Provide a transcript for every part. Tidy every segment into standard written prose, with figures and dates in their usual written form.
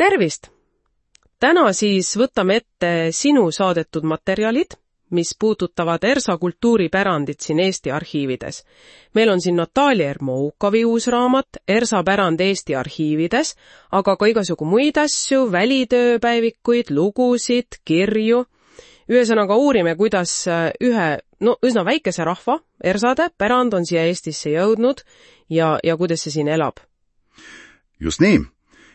Tervist! Täna siis võtame ette sinu saadetud materjalid, mis puudutavad ERSA kultuuripärandit siin Eesti arhiivides. Meil on siin Natalja Ermoukovi uus raamat ERSA pärand Eesti arhiivides, aga ka igasugu muid asju, välitööpäevikuid, lugusid, kirju. Ühesõnaga uurime, kuidas üsna väikese rahva, ERSAde pärand on siia Eestisse jõudnud ja kuidas see siin elab. Just nii.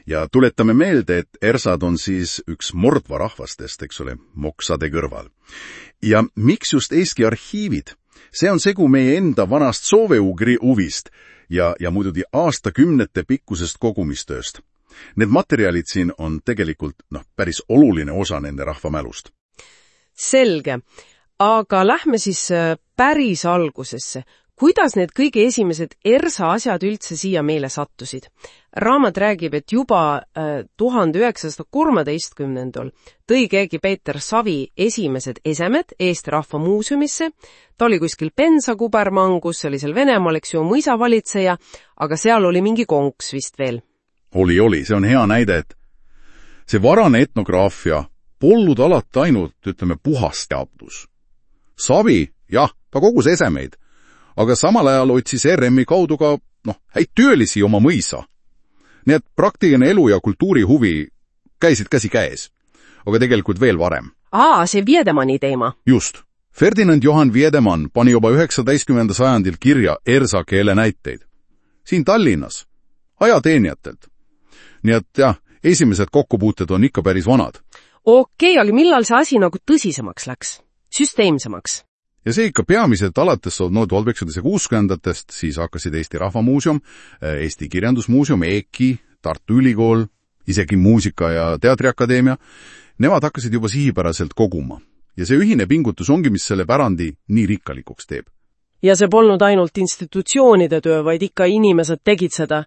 Ja tuletame meelde, et ERSAd on siis üks mordva rahvastest, eks ole, moksade kõrval. Ja miks just Eesti arhiivid? See on segu meie enda vanast sooveugri huvist ja muidugi aastakümnete pikkusest kogumistööst. Need materjalid siin on tegelikult päris oluline osa nende rahvamälust. Selge, aga lähme siis päris algusesse. Kuidas need kõige esimesed ERSA asjad üldse siia meile sattusid? Raamat räägib, et juba 1913 tõi keegi Peeter Savi esimesed esemed Eesti Rahva Muuseumisse. Ta oli kuskil Pensa-kubermangus, see oli seal Venemaal, eks ju, mõisavalitseja, aga seal oli mingi konks vist veel. Oli, see on hea näide, et see varane etnograafia polnud alati ainult, puhas teadus. Savi, jah, ta kogus esemeid, aga samal ajal otsis RM-i kaudu ka, häid töölisi oma mõisa. Nii et praktiline elu ja kultuurihuvi käisid käsi käes, aga tegelikult veel varem. See Wiedemanni teema. Just. Ferdinand Johann Wiedemann pani juba 19. sajandil kirja ERSA keele näiteid. Siin Tallinnas, ajateenijatelt. Nii et jah, esimesed kokkupuuted on ikka päris vanad. Okei, aga millal see asi nagu tõsisemaks läks? Süsteemsemaks? Ja see ikka peamiselt alates 1960-ndatest, siis hakkasid Eesti Rahvamuuseum, Eesti Kirjandusmuuseum, EKI, Tartu Ülikool, isegi Muusika- ja Teatriakadeemia. Nemad hakkasid juba sihipäraselt koguma. Ja see ühine pingutus ongi, mis selle pärandi nii rikkalikuks teeb. Ja see polnud ainult institutsioonide töö, vaid ikka inimesed tegid seda.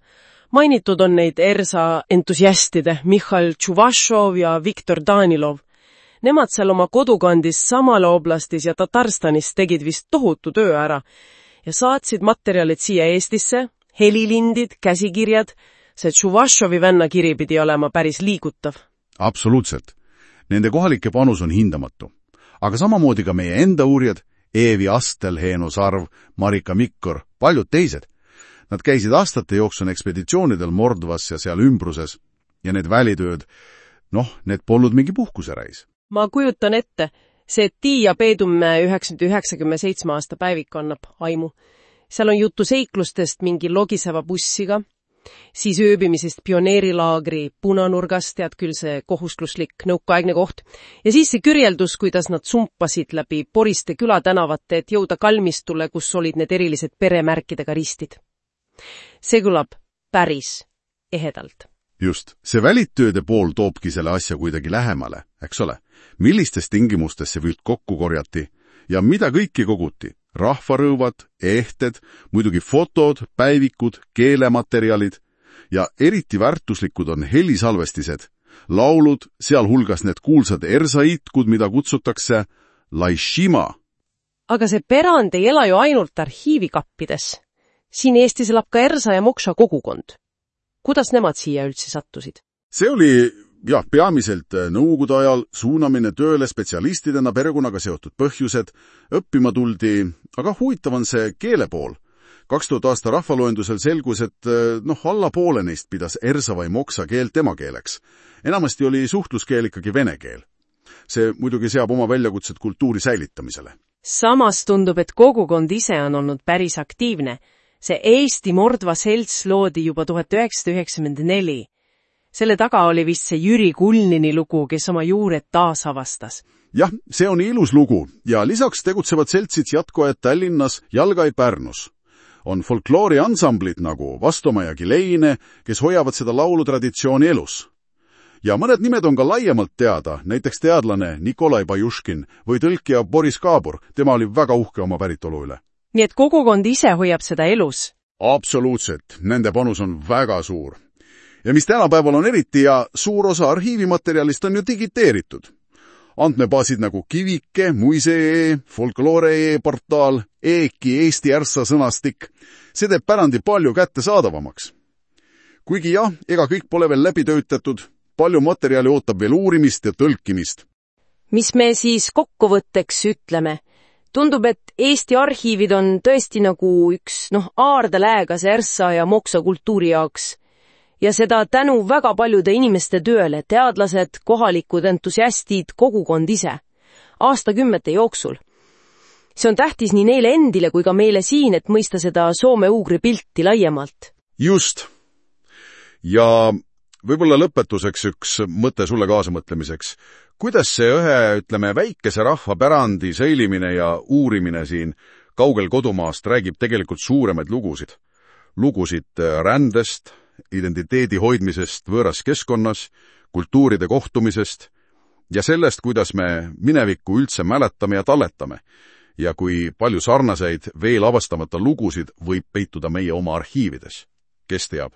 Mainitud on neid ERSA entusiastide Mihhail Tšuvašov ja Viktor Danilov. Nemad seal oma kodukandis Samala oblastis ja Tatarstanis tegid vist tohutu töö ära ja saatsid materjalid siia Eestisse, helilindid, käsikirjad. See Tšuvašovi venna kiri pidi olema päris liigutav. Absoluutselt. Nende kohalike panus on hindamatu. Aga samamoodi ka meie enda uurijad, Eevi Astel, Heeno Sarv, Marika Mikkor, paljud teised. Nad käisid aastate jooksul ekspeditsioonidel Mordvas ja seal ümbruses ja need välitööd, need polnud mingi puhkusereis. Ma kujutan ette, see Tiia Peedumäe 997 aasta päevik annab aimu. Seal on juttu seiklustest mingi logiseva bussiga, siis ööbimisest pioneerilaagri punanurgast, tead küll see kohustuslik nõukaaegne koht, ja siis see kirjeldus, kuidas nad sumpasid läbi poriste külatänavate, et jõuda kalmistule, kus olid need erilised peremärkidega ristid. See kõlab päris ehedalt. Just, see välitööde pool toobki selle asja kuidagi lähemale, eks ole? Millistes tingimustes see vilt kokku korjati ja mida kõiki koguti? Rahvarõuvad, ehted, muidugi fotod, päivikud, keelematerjalid ja eriti väärtuslikud on helisalvestised, laulud, sealhulgas need kuulsad ERSA itkud, mida kutsutakse Laishima. Aga see pärand ei ela ju ainult arhiivikappides. Siin Eestis elab ka ERSA ja Moksa kogukond. Kuidas nemad siia üldse sattusid? See oli, peamiselt nõukogude ajal suunamine tööle spetsialistidena perekonnaga seotud põhjused, õppima tuldi, aga huvitav on see keele pool. 2000 aasta rahvaloendusel selgus, et alla poole neist pidas ERSA või Moksa keelt emakeeleks. Enamasti oli suhtluskeel ikkagi vene keel. See muidugi seab oma väljakutsed kultuuri säilitamisele. Samas tundub, et kogukond ise on olnud päris aktiivne. See Eesti Mordva selts loodi juba 1994. Selle taga oli vist see Jüri Kulnini lugu, kes oma juured taasavastas. Jah, see on ilus lugu ja lisaks tegutsevad seltsid jätkuajad Tallinnas, Jalgai Pärnus. On folklooriansamblid nagu Vastomaa ja Kileine, kes hoiavad seda laulutraditsiooni elus. Ja mõned nimed on ka laiemalt teada, näiteks teadlane Nikolai Bajuškin või tõlkija Boris Kaabur, tema oli väga uhke oma päritolu üle. Nii et kogukond ise hoiab seda elus? Absoluutselt, nende panus on väga suur. Ja mis tänapäeval on eriti ja suur osa arhiivimaterjalist on ju digiteeritud. Andmebaasid nagu Kivike, Muise.ee, Folklore.ee portaal, EKI Eesti ERSA sõnastik, see teeb pärandi palju kättesaadavamaks. Kuigi jah, ega kõik pole veel läbi töötatud, palju materjali ootab veel uurimist ja tõlkimist. Mis me siis kokkuvõtteks ütleme? Tundub, et Eesti arhiivid on tõesti nagu üks aardeläägas Ersa ja Moksa kultuuri jaoks. Ja seda tänu väga paljude inimeste tööle, teadlased, kohalikud entusiastid, kogukond ise. Aastakümnete jooksul. See on tähtis nii neile endile kui ka meile siin, et mõista seda soome-ugri pilti laiemalt. Just. Ja võib-olla lõpetuseks üks mõte sulle kaasamõtlemiseks. Kuidas see väikese rahvapärandi säilimine ja uurimine siin kaugel kodumaast räägib tegelikult suuremaid lugusid? Lugusid rändest, identiteedi hoidmisest võõras keskkonnas, kultuuride kohtumisest ja sellest, kuidas me minevikku üldse mäletame ja talletame. Ja kui palju sarnaseid veel avastamata lugusid võib peituda meie oma arhiivides. Kes teab?